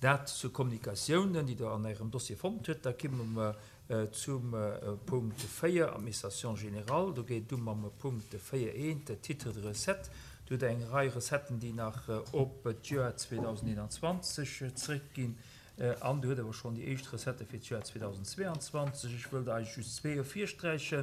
Dat zur Kommunikatiounen, déi Der an Ärem Dossier fonnt hutt. Da kimme mer zum Punkt 4, Administration générale. Do geet et u mam Punkt 4.1, Titres de recettes. Do hutt Der eng Rei Recetten, déi nach op d'Joer 2021 zréckginn. An do huet awer schonn déi éischt Recettë fir d'Joer 2022. Ech wëll der eigentlech just zwee ervirsträichen.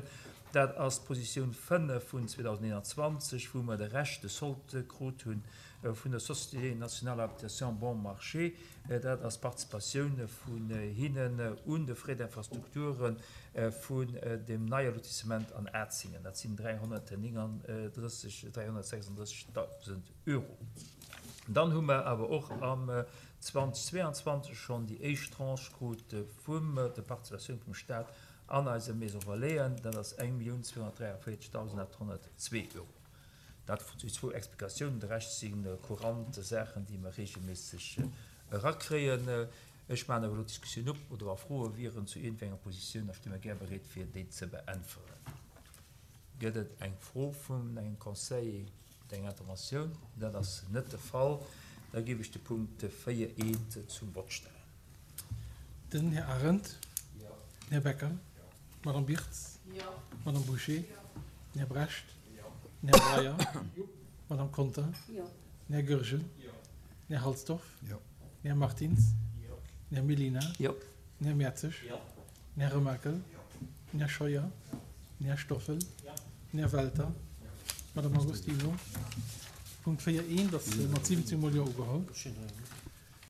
Dat ass d'Positioun 5 vun 2021, wou mer de Rescht de Solde krut hu vun der Société nationale d'habitation Bon Marché. Dat ass d'Participatioun vun hinnen un de Frais d'infrastructure vun dem neie Lotissement an Atzingen. Dat sinn 339, 336.000 Euro. Dann hu mer awer och am 2022 schonn déi éischt Tranche krut vum der Participatioun vum Stat an eise Maison Relaisen. Dat ass 1.243.802 Euro. Dat déi zwou Explikatiounen. De Rescht si courant Saachen, déi mer reegelméisseg erakréien. Ech maachen awer elo d'Diskussioun op, oder wa Froe wieren zu iergendenger Positioun, da sti mer gär bereet, fir déi ze beäntweren. Gëtt et eng Fro vun engem Conseiller oder eng Interventioun? Dat ass net de Fall. Da géif ech de Punkt 4 eent zum Vott stellen. Den Här Arendt. Den Här Becker. D'Madame Birtz. D'Madame Bouché. Den Här Brecht. Den Här Breyer. D'Madame Conter. Den Här Goergen. Den Här Halsdorf. Den Här Martins. Den Här Mellina. Den Här Mertzig. Den Här Remakel. Den Här Scheuer. Den Här Stoffel. Den Här Welter. D'Madame Agostino. Punkt 4 eent ass mat 17 mol Jo ugeholl.